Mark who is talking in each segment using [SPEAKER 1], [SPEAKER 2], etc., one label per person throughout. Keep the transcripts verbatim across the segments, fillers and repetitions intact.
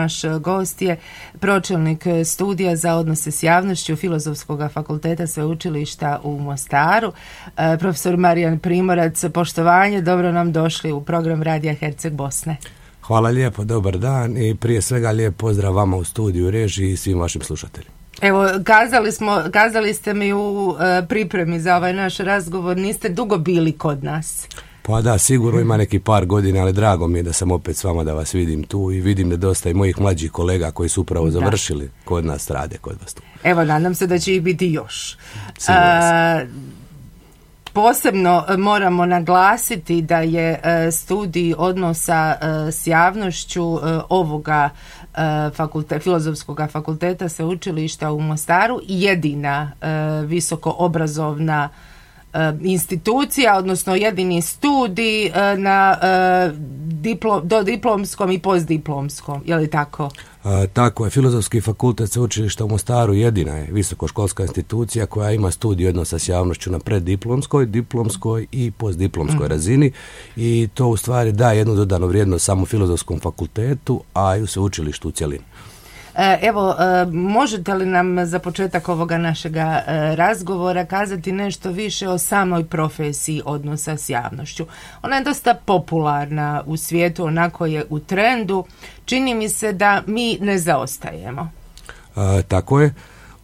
[SPEAKER 1] naš gost je pročelnik studija za odnose s javnošću Filozofskog fakulteta Sveučilišta u Mostaru, profesor Marijan Primorac. Poštovanje, dobro nam došli u program Radija Herceg Bosne.
[SPEAKER 2] Hvala lijepo, dobar dan i prije svega lijep pozdrav vama u studiju, režiji i svim vašim slušateljima.
[SPEAKER 1] Evo, kazali smo, kazali ste mi u e, pripremi za ovaj naš razgovor, niste dugo bili kod nas.
[SPEAKER 2] Pa da, sigurno ima neki par godina, ali drago mi je da sam opet s vama, da vas vidim tu i vidim da dosta i mojih mlađih kolega koji su upravo završili da. kod nas, rade kod vas tu.
[SPEAKER 1] Evo, nadam se da će ih biti još. A, posebno moramo naglasiti da je e, studij odnosa e, s javnošću e, ovoga Fakulte, Filozofskog fakulteta Sveučilišta u Mostaru jedina e, visoko obrazovna e, institucija, odnosno jedini studij e, na e, diplo, dodiplomskom i postdiplomskom, je li tako?
[SPEAKER 2] A, tako je, Filozofski fakultet Sveučilišta u Mostaru jedina je visokoškolska institucija koja ima studij odnosa s javnošću na preddiplomskoj, diplomskoj i postdiplomskoj mm. razini i to u stvari daje jednu dodanu vrijednost samo Filozofskom fakultetu, a i u sveučilištu u cjelini.
[SPEAKER 1] Evo, možete li nam za početak ovoga našega razgovora kazati nešto više o samoj profesiji odnosa s javnošću? Ona je dosta popularna u svijetu, onako je u trendu. Čini mi se da mi ne zaostajemo.
[SPEAKER 2] A, tako je.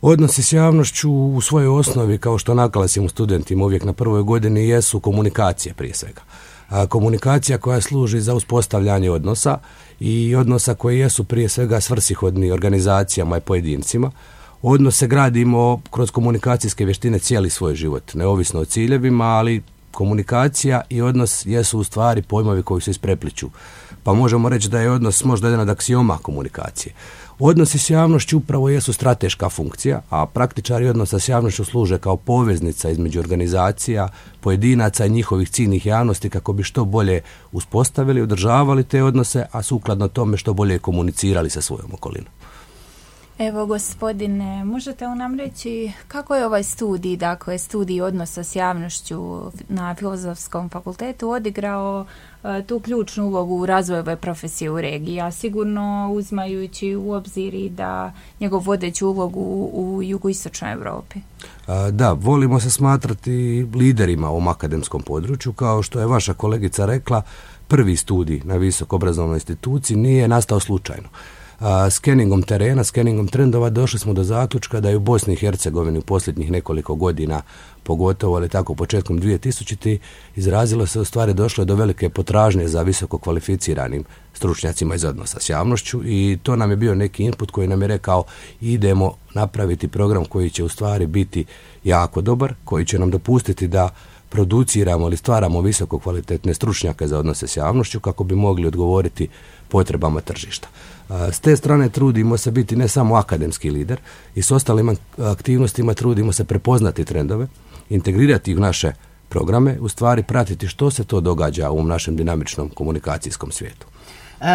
[SPEAKER 2] Odnosi s javnošću u svojoj osnovi, kao što naglasimo studentima uvijek na prvoj godini, jesu komunikacije prije svega. A, komunikacija koja služi za uspostavljanje odnosa i odnosa koji jesu prije svega svrsishodni organizacijama i pojedincima. Odnose gradimo kroz komunikacijske vještine cijeli svoj život, neovisno o ciljevima, ali komunikacija i odnos jesu u stvari pojmovi koji se isprepliću. Pa možemo reći da je odnos možda jedan od aksioma komunikacije. Odnosi s javnošću upravo jesu strateška funkcija, a praktičari odnosa s javnošću služe kao poveznica između organizacija, pojedinaca i njihovih ciljnih javnosti kako bi što bolje uspostavili, održavali te odnose, a sukladno tome što bolje komunicirali sa svojom okolinom.
[SPEAKER 3] Evo, gospodine, možete li nam reći kako je ovaj studij, dakle studij odnosa s javnošću na Filozofskom fakultetu odigrao uh, tu ključnu ulogu u razvoju ove profesije u regiji, a sigurno uzmajući u obzir i da njegov vodeću ulogu u, u jugoistočnoj Europi?
[SPEAKER 2] A, da, volimo se smatrati liderima u ovom akademskom području, kao što je vaša kolegica rekla, prvi studij na visoko-obrazovnoj instituciji nije nastao slučajno. A, skeningom terena, skeningom trendova došli smo do zaključka da je u Bosni i Hercegovini u posljednjih nekoliko godina, pogotovo ali tako početkom dvije tisućite izrazilo se u stvari došlo do velike potražnje za visoko kvalificiranim stručnjacima iz odnosa s javnošću i to nam je bio neki input koji nam je rekao idemo napraviti program koji će u stvari biti jako dobar, koji će nam dopustiti da produciramo ili stvaramo visoko kvalitetne stručnjake za odnose s javnošću kako bi mogli odgovoriti potrebama tržišta. S te strane trudimo se biti ne samo akademski lider i s ostalim aktivnostima trudimo se prepoznati trendove, integrirati ih u naše programe, u stvari pratiti što se to događa u ovom našem dinamičnom komunikacijskom svijetu.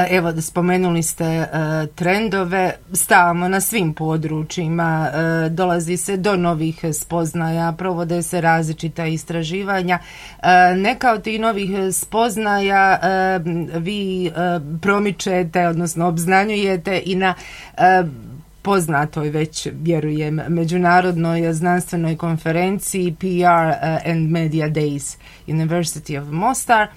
[SPEAKER 1] Evo, spomenuli ste uh, trendove, stavamo na svim područjima, uh, dolazi se do novih spoznaja, provode se različita istraživanja. Uh, neka od tih novih spoznaja uh, vi uh, promičete, odnosno obznanjujete i na uh, poznatoj već, vjerujem, međunarodnoj znanstvenoj konferenciji P R and Media Days University of Mostar.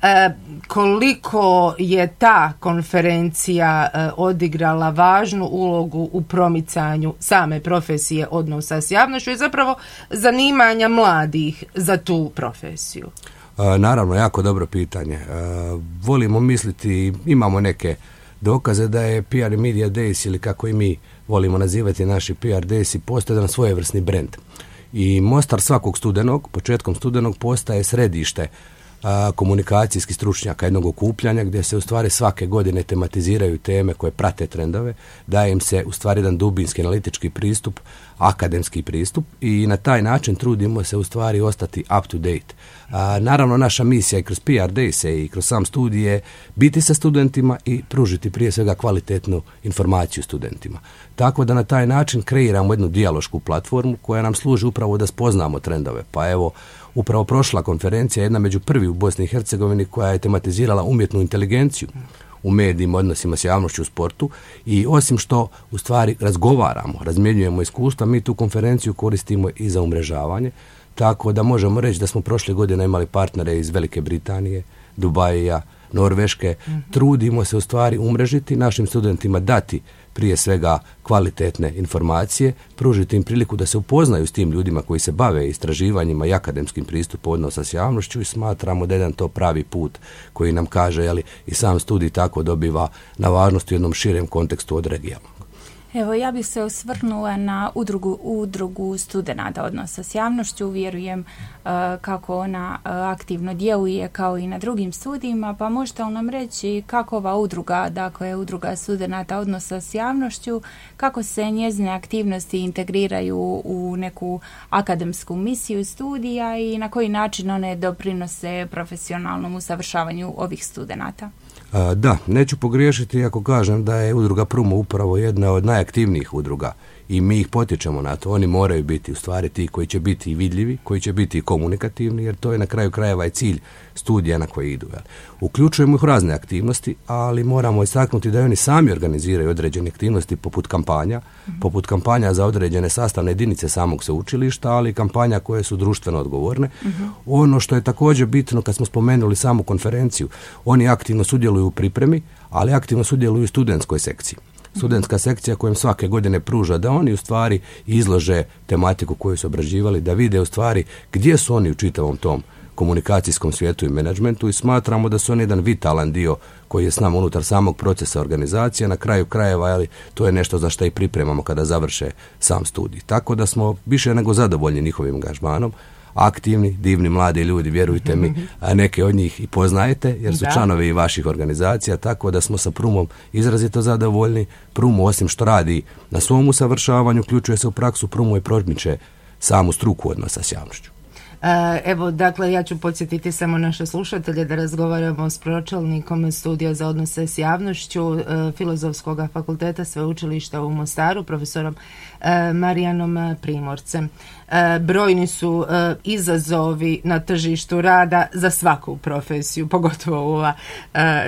[SPEAKER 1] E, koliko je ta konferencija e, odigrala važnu ulogu u promicanju same profesije odnosa s javnošću i zapravo zanimanja mladih za tu profesiju?
[SPEAKER 2] E, naravno, jako dobro pitanje. E, volimo misliti, imamo neke dokaze da je P R and Media Days, ili kako i mi volimo nazivati naši P R Days, postoje jedan svojevrsni brend. I Mostar svakog studenog, početkom studenog, postaje središte komunikacijskih stručnjaka, jednog okupljanja gdje se u stvari svake godine tematiziraju teme koje prate trendove, daje im se u stvari jedan dubinski analitički pristup, akademski pristup i na taj način trudimo se u stvari ostati up to date. A, naravno, naša misija i kroz P R Days i kroz sam studij je biti sa studentima i pružiti prije svega kvalitetnu informaciju studentima. Tako da na taj način kreiramo jednu dijalošku platformu koja nam služi upravo da spoznamo trendove. Pa evo, upravo prošla konferencija, jedna među prvi u Bosni i Hercegovini koja je tematizirala umjetnu inteligenciju u medijima, odnosima s javnošću u sportu i osim što u stvari razgovaramo, razmjenjujemo iskustva, mi tu konferenciju koristimo i za umrežavanje, tako da možemo reći da smo prošle godine imali partnere iz Velike Britanije, Dubaija, Norveške. Mm-hmm. Trudimo se u stvari umrežiti, našim studentima dati prije svega kvalitetne informacije, pružiti im priliku da se upoznaju s tim ljudima koji se bave istraživanjima i akademskim pristupom odnosa s javnošću i smatramo da je jedan to pravi put koji nam kaže, jeli, i sam studij tako dobiva na važnosti u jednom širem kontekstu od regionalnog.
[SPEAKER 3] Evo, ja bih se osvrnula na udrugu, udrugu studenata odnosa s javnošću. Vjerujem uh, kako ona uh, aktivno djeluje kao i na drugim studijima, pa možete li nam reći kako ova udruga, dakle udruga studenata odnosa s javnošću, kako se njezine aktivnosti integriraju u neku akademsku misiju studija i na koji način one doprinose profesionalnom usavršavanju ovih studenata?
[SPEAKER 2] Da, neću pogriješiti ako kažem da je udruga Prumo upravo jedna od najaktivnijih udruga i mi ih potičemo na to. Oni moraju biti u stvari ti koji će biti vidljivi, koji će biti komunikativni, jer to je na kraju krajeva i cilj studija na koji idu. Uključujemo ih u razne aktivnosti, ali moramo istaknuti da oni sami organiziraju određene aktivnosti poput kampanja, mm-hmm. poput kampanja za određene sastavne jedinice samog sveučilišta, ali i kampanja koje su društveno odgovorne. Mm-hmm. Ono što je također bitno kad smo spomenuli samu konferenciju, oni aktivno sudjeluju u pripremi, ali aktivno sudjeluju u studentskoj sekciji. Studentska sekcija kojem svake godine pruža da oni u stvari izlože tematiku koju su obrađivali, da vide u stvari gdje su oni u čitavom tom komunikacijskom svijetu i menadžmentu i smatramo da su oni jedan vitalan dio koji je s nama unutar samog procesa organizacije. Na kraju krajeva, ali to je nešto za što i pripremamo kada završe sam studij. Tako da smo više nego zadovoljni njihovim angažmanom. Aktivni, divni, mladi ljudi, vjerujte mi, a neke od njih i poznajete jer su da. članovi vaših organizacija, tako da smo sa Prumom izrazito zadovoljni. Prumo, osim što radi na svom usavršavanju, uključuje se u praksu, Prumo i promiče samu struku odnosa s javnošću.
[SPEAKER 1] Evo, dakle, ja ću podsjetiti samo naše slušatelje da razgovaramo s pročelnikom studija za odnose s javnošću Filozofskog fakulteta sveučilišta u Mostaru, profesorom Marijanom Primorcem. Brojni su izazovi na tržištu rada za svaku profesiju, pogotovo u ova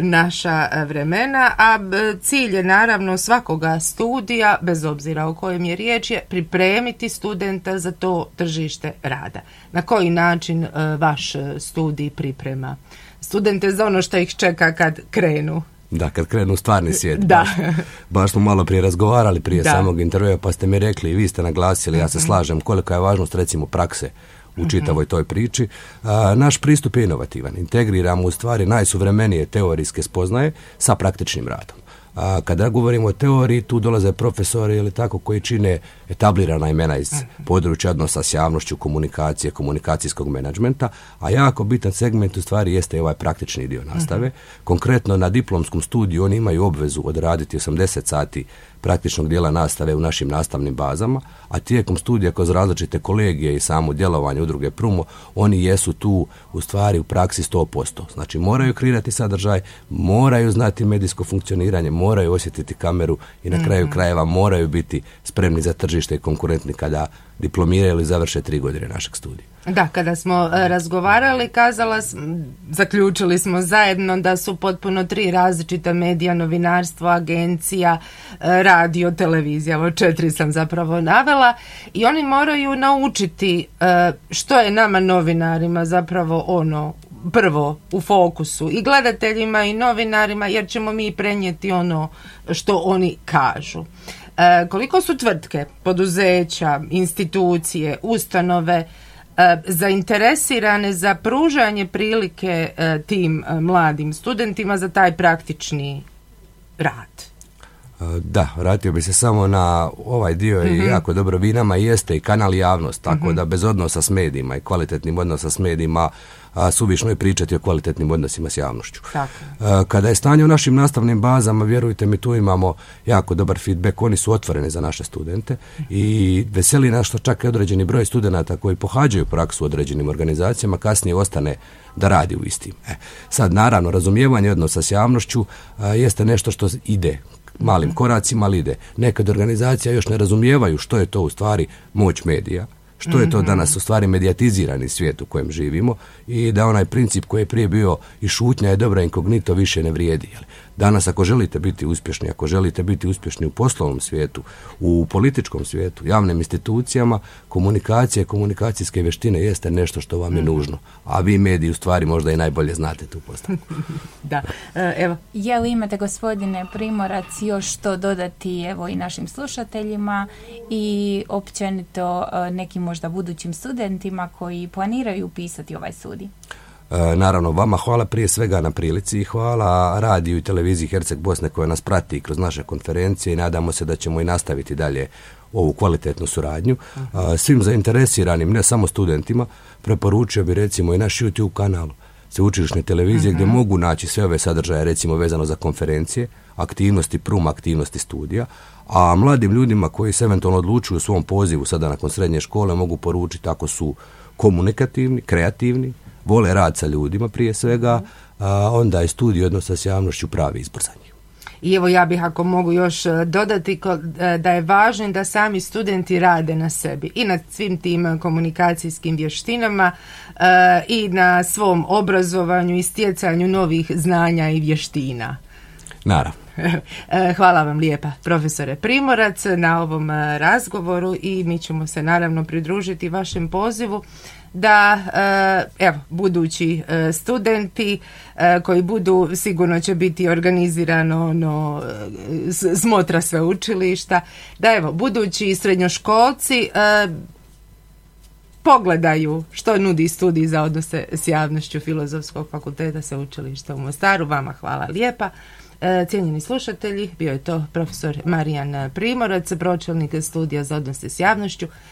[SPEAKER 1] naša vremena, a cilj je naravno svakoga studija, bez obzira o kojem je riječ, je pripremiti studenta za to tržište rada. Na koji način vaš studij priprema studente za ono što ih čeka kad krenu?
[SPEAKER 2] Da, kad krenu u stvarni svijet.
[SPEAKER 1] Da.
[SPEAKER 2] Baš, baš smo malo prije razgovarali prije da. samog intervjua, pa ste mi rekli i vi ste naglasili, ja se slažem, kolika je važnost recimo prakse u čitavoj toj priči. A, naš pristup je inovativan. Integriramo u stvari najsuvremenije teorijske spoznaje sa praktičnim radom. A kada govorimo o teoriji, tu dolaze profesori ili tako koji čine etablirana imena iz područja odnosa s javnošću, komunikacije, komunikacijskog menadžmenta, a jako bitan segment u stvari jeste i ovaj praktični dio nastave. Konkretno na diplomskom studiju oni imaju obvezu odraditi osamdeset sati praktičnog dijela nastave u našim nastavnim bazama, a tijekom studija kroz različite kolegije i samo djelovanje udruge Prumo, oni jesu tu u stvari u praksi sto posto. Znači moraju kreirati sadržaj, moraju znati medijsko funkcioniranje, moraju osjetiti kameru i na kraju krajeva moraju biti spremni za tržište i konkurentni kada diplomiraju ili završe tri godine našeg studija.
[SPEAKER 1] Da, kada smo razgovarali, kazala, zaključili smo zajedno da su potpuno tri različita medija, novinarstvo, agencija, radio, televizija, ovo četiri sam zapravo navela i oni moraju naučiti što je nama novinarima zapravo ono prvo u fokusu i gledateljima i novinarima, jer ćemo mi prenijeti ono što oni kažu. E, koliko su tvrtke, poduzeća, institucije, ustanove e, zainteresirane za pružanje prilike e, tim e, mladim studentima za taj praktični rad?
[SPEAKER 2] Da, vratio bi se samo na ovaj dio i mm-hmm. jako dobro, vi nama jeste i kanal javnost, tako mm-hmm. da bez odnosa s medijima i kvalitetnim odnosa s medijima a, suvišno je pričati o kvalitetnim odnosima s javnošću.
[SPEAKER 1] Tako.
[SPEAKER 2] A, kada je stanje u našim nastavnim bazama, vjerujte mi, tu imamo jako dobar feedback, oni su otvoreni za naše studente i veseli nas što čak i određeni broj studenata koji pohađaju praksu u određenim organizacijama kasnije ostane da radi u istim. E, sad, naravno, razumijevanje odnosa s javnošću a, jeste nešto što ide malim koracima, ali ide. Nekad organizacija još ne razumijevaju što je to u stvari moć medija, što je to danas u stvari medijatizirani svijet u kojem živimo i da onaj princip koji je prije bio i šutnja je dobra inkognito više ne vrijedi. Danas ako želite biti uspješni, ako želite biti uspješni u poslovnom svijetu, u političkom svijetu, javnim institucijama, komunikacije, komunikacijske vještine jeste nešto što vam je mm-hmm. nužno. A vi mediji u stvari možda i najbolje znate tu postavku.
[SPEAKER 1] Da, e, evo.
[SPEAKER 3] Je li imate, gospodine Primorac, još što dodati evo i našim slušateljima i općenito nekim možda budućim studentima koji planiraju upisati ovaj studij?
[SPEAKER 2] E, naravno, vama hvala prije svega na prilici i hvala radiju i televiziji Herceg Bosne koja nas prati kroz naše konferencije i nadamo se da ćemo i nastaviti dalje ovu kvalitetnu suradnju. E, svim zainteresiranim, ne samo studentima, preporučio bi recimo i naš YouTube kanal Sveučilišne televizije uh-huh. gdje mogu naći sve ove sadržaje recimo vezano za konferencije, aktivnosti, prum aktivnosti studija, a mladim ljudima koji se eventualno odlučuju u svom pozivu sada nakon srednje škole mogu poručiti ako su komunikativni, kreativni, vole rad sa ljudima prije svega, a onda je studij odnosa s javnošću pravi izbor za njih.
[SPEAKER 1] I evo ja bih ako mogu još dodati da je važno da sami studenti rade na sebi i na svim tim komunikacijskim vještinama i na svom obrazovanju i stjecanju novih znanja i vještina.
[SPEAKER 2] Naravno.
[SPEAKER 1] Hvala vam lijepa, profesore Primorac, na ovom razgovoru i mi ćemo se naravno pridružiti vašem pozivu da evo, budući studenti koji budu, sigurno će biti organizirano no, smotra sveučilišta, da evo, budući srednjoškolci pogledaju što nudi studij za odnose s javnošću Filozofskog fakulteta Sveučilišta u Mostaru. Vama hvala lijepa. Cijenjeni slušatelji, bio je to profesor Marijan Primorac, pročelnik studija za odnose s javnošću